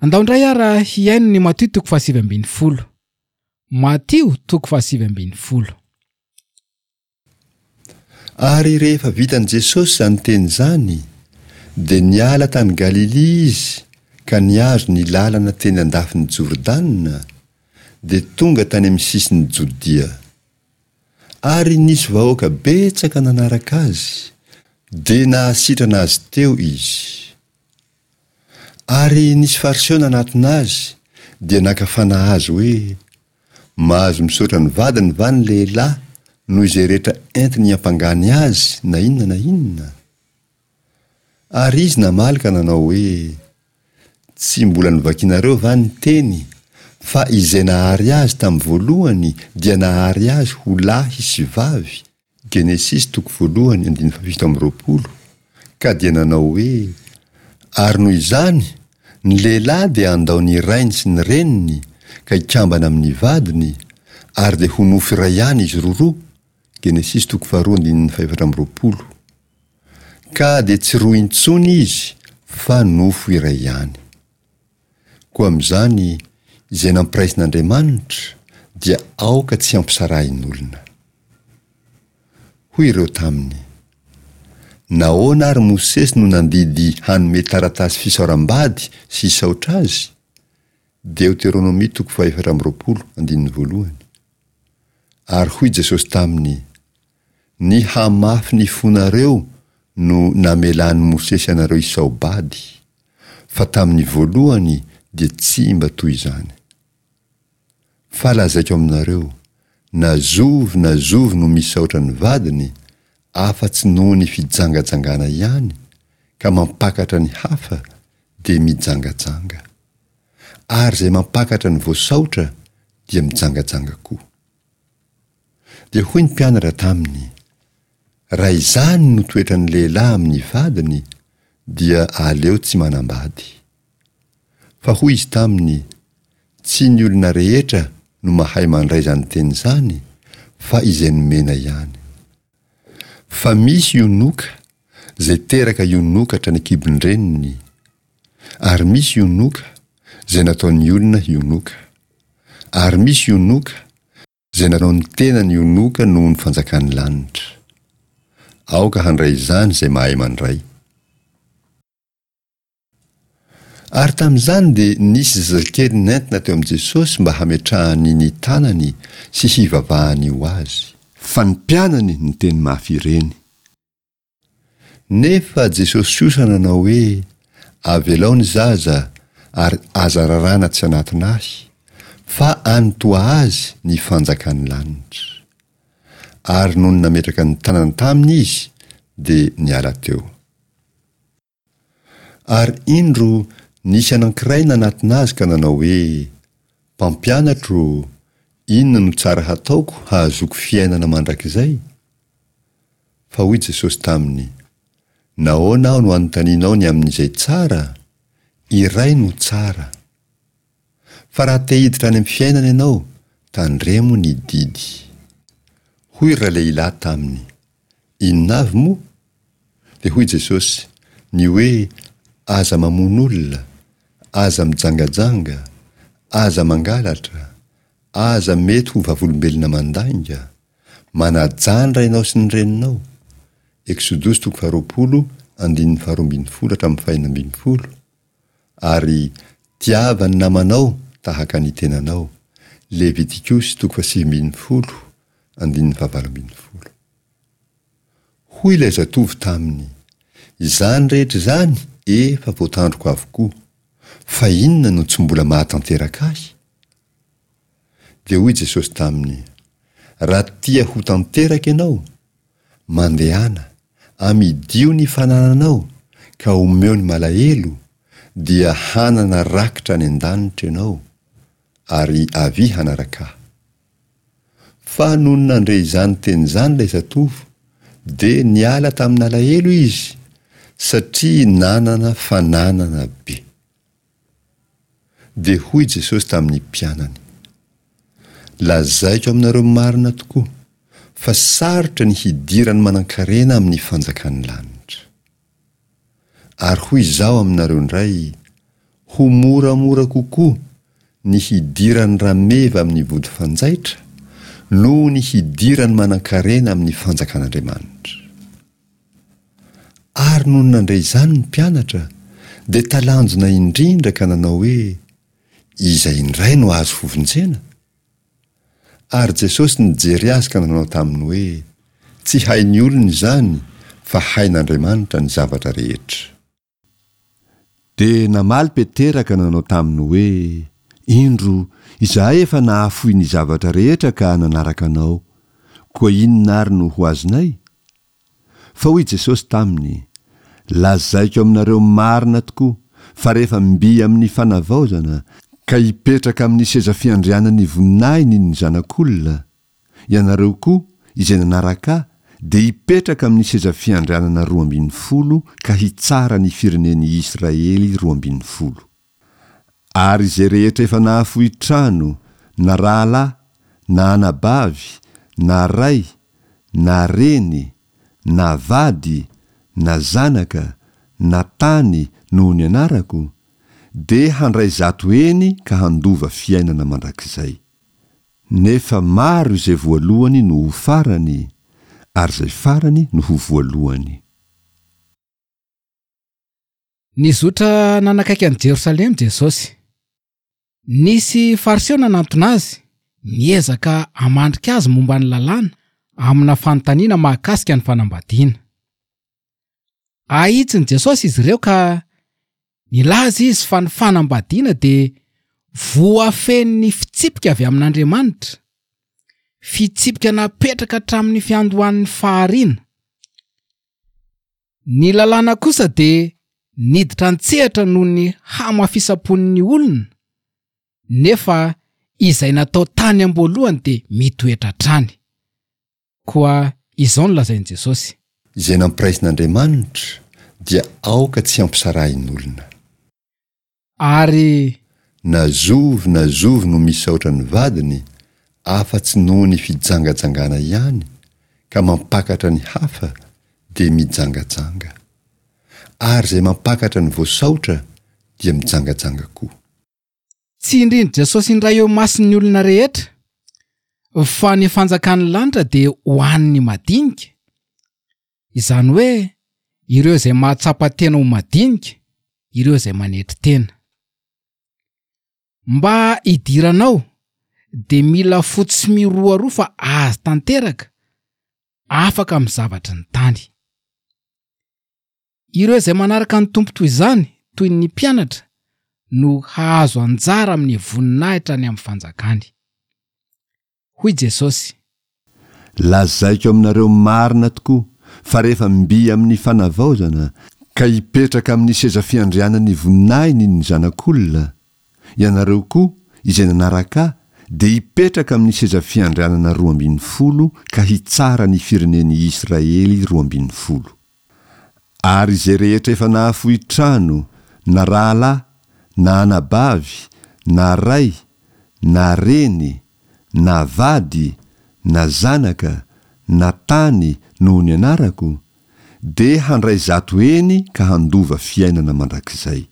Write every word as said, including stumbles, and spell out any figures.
Andao indray ara hihaino ny Matio toko fahasivy ambin'ny folo. Matio toko fahasivy ambin'ny folo. Ary rehefa vitan'i Jesosy izany teny izany, dia niala tany Galilia izy ka nihazo ny lalana teny an-dafin'i Jordana, dia tonga tany amin'ny sisin'i Jodia. Ary nisy vahoaka betsaka nanaraka azy, dia nahasitrana azy teo izy. Ary nisy Fariseo nanatona azy, dia naka fanahy azy hoe, Mahazo misaotra ny vadiny va ny lehilahy noho izay rehetra entiny hiampangany azy na inona na inona? Ary izy namaly ka nanao hoe, Tsy mbola novakinareo va ny teny, fa izay nahary azy tamin'ny voalohany dia nahary azy ho lahy sy vavy, Genesisy toko voalohany andininy fahafito amby roapolo, ka dia nanao hoe, Ary noho izany, ny lehilahy dia handao ny rainy sy ny reniny ka hikambana amin'ny vadiny, ary dia ho nofo iray ihany izy roroa, Genesisy toko faharoa andininy fahefatra amby roapolo. Ka dia tsy roa intsony izy fa nofo iray ihany. Koa amin'izany, izay nampiraisin'Andriamanitra dia aoka tsy hampisarahin'olona. Hoy ireo taminy, Nahoana ary Mosesy no nandidy hanome taratasy fisaoram-bady sy hisaotra azy? Deoteronomia toko fahefatra amby roapolo, andininy voalohany. Ary hoy Jesosy taminy, Ny hamafy ny fonareo no namelan'i Mosesy anareo hisao-bady, fa tamin'ny voalohany dia tsy mba toy izany. Fa lazaiko aminareo, na zovy na zovy no misaotra ny vadiny, afa-tsy noho ny fijangajangana ihany, ka mampakatra ny hafa, dia mijangajanga. Ary izay mampakatra ny voasaotra dia mijangajanga koa. Dia hoy ny mpianatra taminy, Raha izany no toetran'ny lehilahy amin'ny vadiny, dia aleo tsy manambady. Fa hoy izy taminy, Tsy ny olona rehetra no mahay mandray izany teny izany, fa izay nomena ihany. Fa misy ionoka, izay teraka ionoka hatrany an-kibon-dreniny, ary misy ionoka, izay nataon'ny olona hionoka, ary misy ionoka, izay nanao ny tenany ionoka noho ny fanjakan'ny lanitra. Aoka handray izany izay mahay mandray. Ary tamin'izany dia nisy zazakely nentina teo amin'i Jesosy mba hametrahany ny tanany sy hivavahany ho azy. Fa ny mpianany niteny mafy ireny. Nefa Jesosy kosa nanao hoe, Avelao ny zaza, ary aza raràna tsy hanatona Ahy, fa any toa azy ny fanjakan'ny lanitra. Ary nony nametraka ny tanany taminy Izy, dia niala teo. Ary indro, nisy anankiray nanatona Azy ka nanao hoe, Mpampianatro ô, inona no tsara hataoko hahazoako fiainana mandrakizay? Fa hoy Jesosy taminy, Nahoana aho no anontanianao ny amin'izay tsara? Iray no tsara. Fa raha te hiditra any amin'ny fiainana ianao, tandremo ny didy. Hoy ralehilahy taminy, Inona avy moa? Dia hoy Jesosy, Ny hoe, Aza mamono olona, aza mijangajanga, aza mangalatra, aza mety ho vavolombelona mandainga, Manajà ny rainao sy ny reninao, Eksodosy toko faharoapolo andininy faharoa ambin'ny folo hatramin'ny fahenina ambin'ny folo, ary tiava ny namanao tahaka ny tenanao, Levitikosy toko fahasivy ambin'ny folo andininy fahavalo ambin'ny folo. Hoy ilay zatovo taminy, Izany rehetra izany efa voatandriko avokoa, fa inona no tsy mbola mahatanteraka ahy? Dia hoy Jesosy taminy, Raha tia ho tanteraka ianao, mandehana, amidio ny fanananao ka omeo ny malahelo, dia hanana rakitra any an-danitra ianao, ary avia hanaraka Ahy. Fa nony nandre izany teny izany ilay zatovo, dia niala tamin'alahelo izy, satria nanana fananana be. Dia hoy Jesosy tamin'ny mpianany, Lazaiko aminareo marina tokoa, fa sarotra ny hidiran'ny manankarena amin'ny fanjakan'ny lanitra. Ary hoy Izaho aminareo indray, Ho moramora kokoa ny hidiran'ny rameva amin'ny vody fanjaitra noho ny hidiran'ny manankarena amin'ny fanjakan'Andriamanitra. Ary nony nandre izany ny mpianatra, dia talanjona indrindra ka nanao hoe, Iza indray no azo hovonjena? Ary Jesosy nijery azy ka nanao taminy hoe, Tsy hain'ny olona izany, fa hain'Andriamanitra ny zavatra rehetra. Dia namaly Petera ka nanao taminy hoe, Indro, izahay efa nahafoy ny zavatra rehetra ka nanaraka Anao, koa inona ary no ho azonay? Fa hoy Jesosy taminy, Lazaiko aminareo marina tokoa, fa rehefa mby amin'ny fanavaozana, ka hipetraka amin'ny seza fiandrianan'ny voninahiny ny Zanak'olona, ianareo koa, izay nanaraka Ahy, dia hipetraka amin'ny seza fiandrianana roa ambin'ny folo ka hitsara ny firenen'i Israely roa ambin'ny folo. Ary izay rehetra efa nahafoy trano, na rahalahy, na anabavy, na ray, na reny, na vady, na zanaka, na tany noho ny anarako, dia handray zato heny ka handova fiainana mandrakizay. Nefa maro izay voalohany no ho farany, ary izay farany no ho voalohany. Nizotra nanakaiky an'i Jerosalema Jesosy. Nisy Fariseo nanantona azy, niezaka hamandrika azy momba ny lalàna amina fanontaniana mahakasika ny fanambadiana. Ahitsin'i Jesosy izy ireo ka nilaza izy fa ny fanambadiana dia voafehin'ny fitsipika avy amin'Andriamanitra, fitsipika napetraka hatramin'ny fiandohan'ny fahariana. Ny lalàna kosa dia niditra an-tsehatra noho ny hamafisam-pon'ny olona, nefa izay natao tany am-boalohany dia mitoetra hatrany. Koa izao no lazain'i Jesosy. Izay nampiraisin'Andriamanitra dia aoka tsy hampisarahin'olona. Ary. Na zovy na zovy no misaotra ny vadiny afa-tsy noho ny fijangajangana ihany ka mampakatra ny hafa dia mijangajanga. Ary izay mampakatra ny voasaotra dia mijangajanga koa. Tsindrin'i Jesosy indray eo imason'ny olona rehetra fa ny fanjakan'ny lanitra dia ho an'ny madinika, izany hoe ireo izay mahatsapa tena ho madinika, ireo izay manetry tena. Mba hidiranao dia mila fo tsy miroaroa fa azy tanteraka, afaka amin'ny zavatry ny tany. Ireo izay manaraka ny Tompo toy izany, toy ny mpianatra, no hahazo anjara amin'ny voninahitra any amin'ny fanjakany. Hoy Jesosy. Lazaiko aminareo marina tokoa fa rehefa mby amin'ny fanavaozana, ka hipetraka amin'ny seza fiandrianan'ny voninahiny ny Zanak'olona, ianareo koa, izay nanaraka Ahy, dia hipetraka amin'ny seza fiandrianana roa ambin'ny folo ka hitsara ny firenen'i Israely roa ambin'ny folo. Ary izay rehetra efa nahafoy trano, na rahalahy, na anabavy, na ray, na reny, na vady, na zanaka, na tany noho ny anarako, dia handray zato heny ka handova fiainana mandrakizay.